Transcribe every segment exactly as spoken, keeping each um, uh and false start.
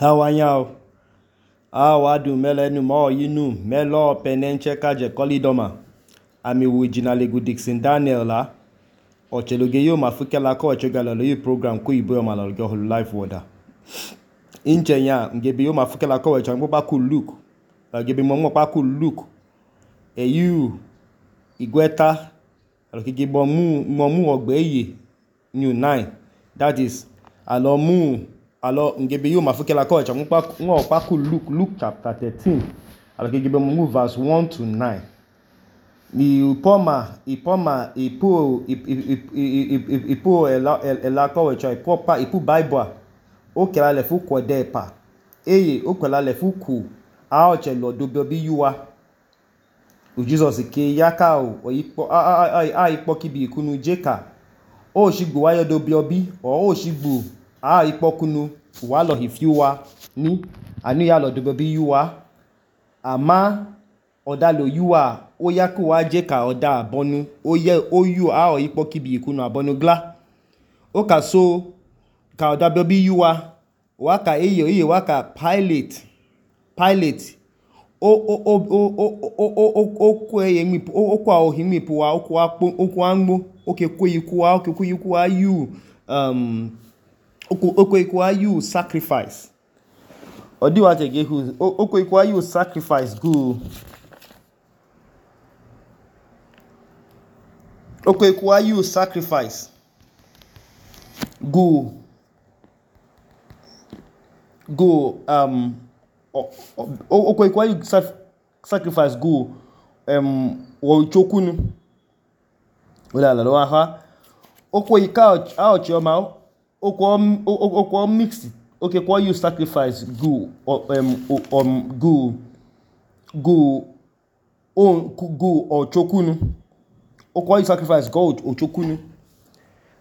Hawanyao, awadu melenu mo yinu melo penenche kaje kolidoma. Ami wijina legu Dixon Daniel la. Ocheloge yo mafukela ko ochogala lo yu program ko ibo yo malologe holu live water. Inche nya ngebe yo mafukela ko ochangbo ba ku Luke. Ngebe mo mo pa ku Luke. E yu igweta alokige bo mu mo mu ogbe ye new nine. That is alomu alo ngebe yo mafukela ko ochangbo pa ngo pa ku Luke Luke chapter thirteen. Alokige bo mu verse one to nine. Ni upoma ipoma ipu ipu ela ko wecho ipopa ipu bible o kela le fu kodepa eye o kela le fu ku a o che lo do bi yuwa u Jesus ke yaka o ipo a a a ipo kibi kunu jeka o shigbo wayo do bi obi o o shigbo a ipo kunu wa lo hifiwa ni anu ya lo do bi yuwa ama oda lo yuwa o yaku wa jeka oda abonu o ye o yu a o ipo kibi kunu abonu gla o ka so ka oda bi yuwa waka eye eye waka pilot pilot o o o o o o o ko eye mi o ko a ohimi pu wa o ko apo o ko angbo o ke ko yiku wa o ke ko yiku wa you um o ko o ko yiku wa you sacrifice odi wa te ge hu o ko yiku wa you sacrifice go o ko yiku wa you sacrifice go go um o ko ikwa you sacrifice go um wo chokunu wala la lo ha o ko ika a o chioma o ko o ko mix o ke ko you sacrifice go um um go go on go o chokunu o ko you sacrifice go o chokunu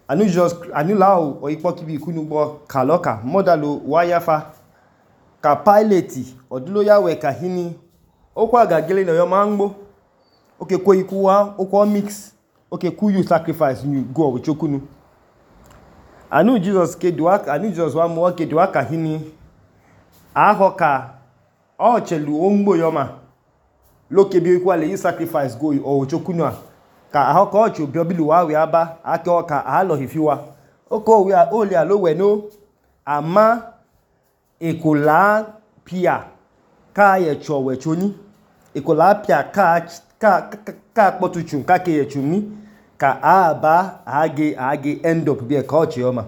anu just anu lao o ipo kibi kunu gbo kaloka modalo wayafa ka pilot odulo ya we ka hini o kwa gagele no yo mangbo o ke ko iku wa o ko mix o ke ku you sacrifice you go o chokunu anu Jesus ke duwa anu Jesus wa mo ke duwa ka hini ahoka o chelu ongbo yo ma lo ke bi iku ale you sacrifice go o chokunu a ka ahoka o chu bi obilu wa we aba ake o ka a lo hifiwa o ko we o le alo we no ama ekola pia ka ye chowe choni ekola pia ka ka ka potuchun ka ke ye chuni ka aba age age end up be ka ochi oma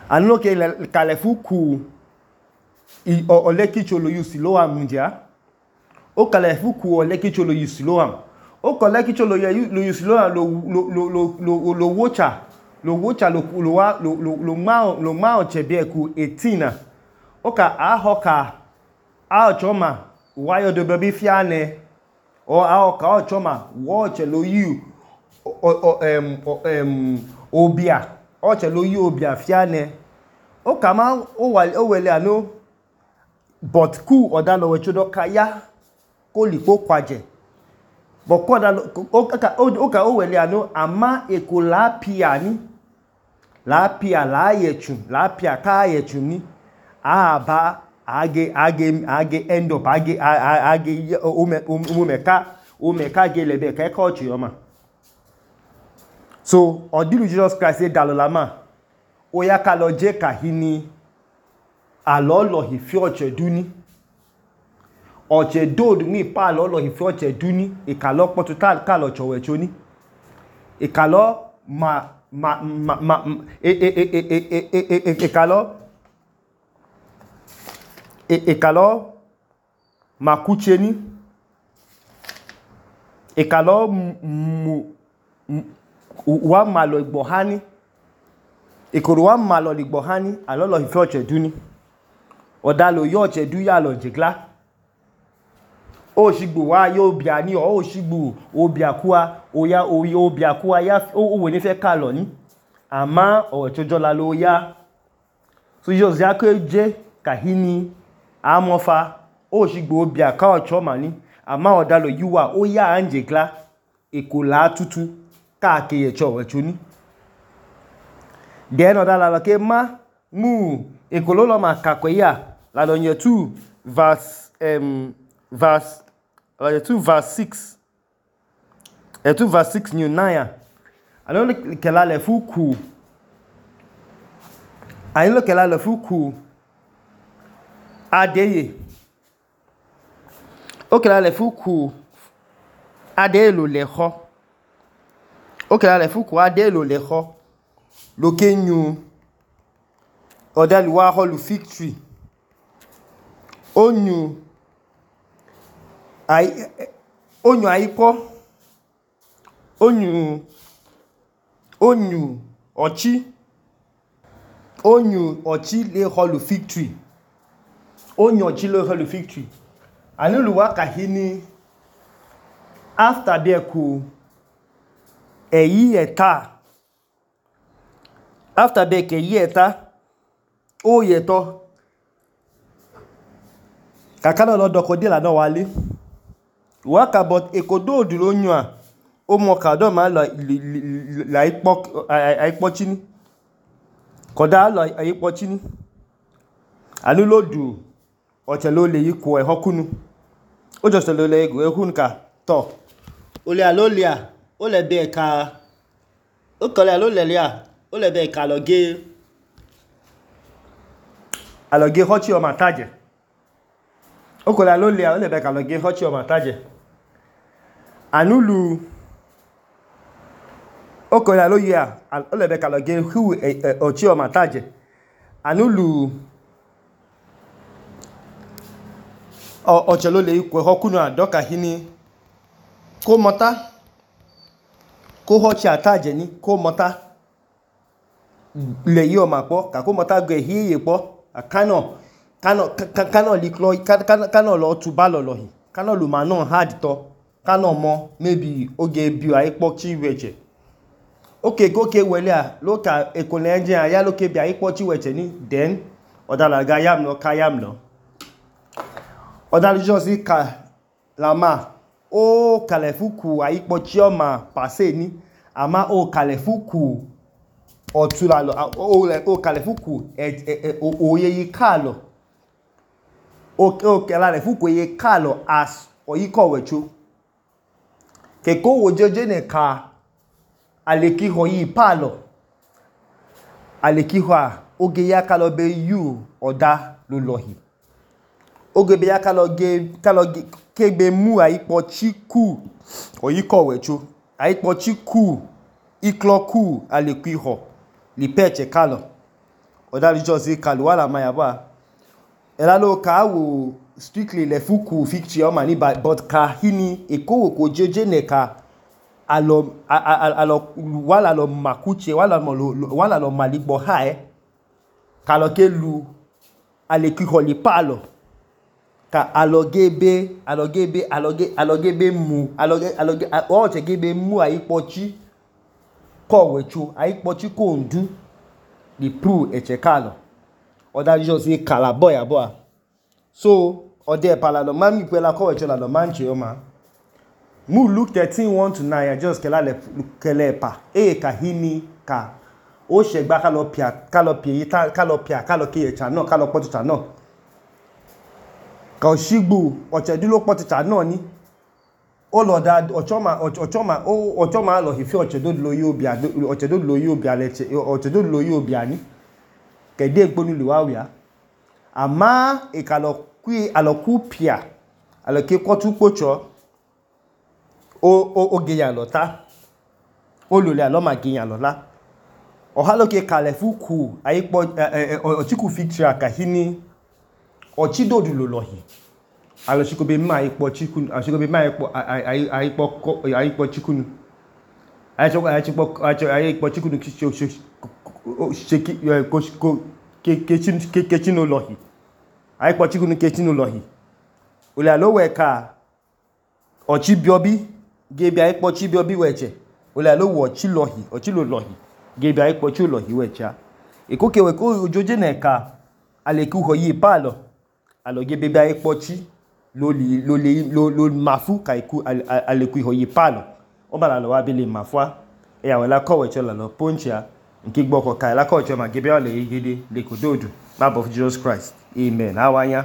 anu ke ka le fuku i o le kicholo yusilo amundia o ka le fuku o le kicholo yusilo am o ko le kicholo lo yusilo lo lo lo lo lo wocha lo wocha lo lo wa lo lo ma lo ma chebe ku eighteen o ka ahoka a choma wayo do baby fiane o ahoka o choma watch lo you o em em obia o che lo you obia fiane o ka ma o wa o wele anu but ku oda lo we chodo kaya ko lipo kwaje but ko da o ka o ka o wele anu ama ekola piani la pia la yechu la pia ka yechu ni aba age age age end up age age umeka umeka ge lebe ka ka ochi oma so odilu Jesus Christ say dalolama o ya ka lo je ka hini alolo hi fi oche duni oche dod mi pa lolo hi fi oche duni e ka lo potu ka lo chowe choni e ka lo ma ma ma ma e e e e e e e kalo e e kalo makucheni e kalo mu wa malo igbohani e koro wa malo igbohani alolo ife oche duni odalo yo oche du ya lo jigla o shigbo wa yo bia ni o shigbo o bia kuwa o ya o yo bia kuwa ya o we ni fe ka lo ni ama o chojo la lo ya so Jesus ya ko je ka hini amofa o shigbo bia ka o choma ni ama o dalo yuwa o ya anje gla ekola tutu ka ke ye cho we chuni den o dala ke ma mu ekololo ma kakweya la donye two verse um verse la two verse six e two verse six new nine alo kela le fuku ayi lo kela le fuku adeye o kela le fuku adeye lo le ho o kela le fuku adeye lo le ho lo kenyu odali wa ho lu fig tree onyu ai onyu aipo onyu onyu ochi onyu ochi le ho lu fig tree onyu ochi le ho lu fig tree anulu wa kahini after be ku eyi eta after be ke yi eta o yeto kakana lo doko de la no wale waka but ekodo oduro onyu a o mo ka do ma lo la ipo aipo chini koda lo aipo chini anu lo du oche lo le yiku e hokunu o just lo le ego ehun ka to o le alolia o le be ka o ko le alolia lia o le be ka lo ge aloge hochi o mataje o ko le alolia o le be ka lo ge hochi o mataje anulu o ko le alolia o le be ka lo ge hu hochi o mataje anulu o ochelo le ikwe hokunu adoka hini ko mota ko hochi ataje ni ko mota le yo mapo ka ko mota gbe hiye po akano kano kano liklo kano lo tuba lo lo hi kano lu ma no hard to kano mo maybe oge bi aipo chi weche okay go ke wele a lo ka ekole engine aya lo ke bi aipo chi weche ni then odala ga yam no ka yam no odala josi ka lama o kalefuku aipo chi o ma pase ni ama o kalefuku otula lo o le o kalefuku e oye yi kalo o o kala le fuku ye kalo as oyiko wecho ke ko wo jeje ne ka aleki ho yi palo aleki ho oge ya kalo be yu oda lo lohi oge be ya kalo ge kalo kegbe mu aipo chiku oyiko wecho aipo chiku ikloku aleki ho li peche kalo odali josi kalo wala mayaba ela lo ka wo strictly le fuku ficture o mani but ka hini ekowo ko jeje ne ka alo alo wala lo makuche wala mo wala lo maligbo hae kalo ke lu aleki ho li palo ka alogebe alogebe aloge alogebe mu aloge aloge o che gebe mu aipochi ko wechu aipochi ko ndu li pru eche kalo oda just say kala boy abo so ode pala lo mami pela ko wechu la lo manche o ma mu Luke thirteen one to nine just kela le kele pa e ka hini ka o se gba ka lo pia ka lo pie ta ka lo pia ka lo ke cha no ka lo potu cha no ka o shigbu o che dulo potu cha no ni o lo da ochoma ochoma o ochoma lo hifi ochedo lo yi obi ado ochedo lo yi obi aleche ochedo lo yi obi ani kede gbonu le wa wia ama e ka lo ku aloku pia aloke kotu pocho o o ogeyan lota o lo le alo ma geyan lola o ha loke kale fuku aipo ochiku ficture akahini ochidodu lo lohi alo chiko be ma ipo chikun chiko be ma ipo aipo aipo chikun aipo aipo aipo chikun sheki ko ke kechin ke kechin no lohi aipo chikun kechin no lohi o le alo we ka ochi biobi gebi aipo chi biobi weche o le alo wo chi lohi ochi lo lohi gebi aipo chi lohi wecha e ko ke we ko ojoje na ka aleku ho yi palo alo gebe bi aipo chi lo li lo le lo lo mafu kaiku aleku ho yi palo o bala lo wa bi le mafua e awela ko weche la lo poncha nke gbọkọ ka ẹlaka ọchọma gebe ọlẹ egede lekododu mabọ Jesus Christ. Amen. Awanya.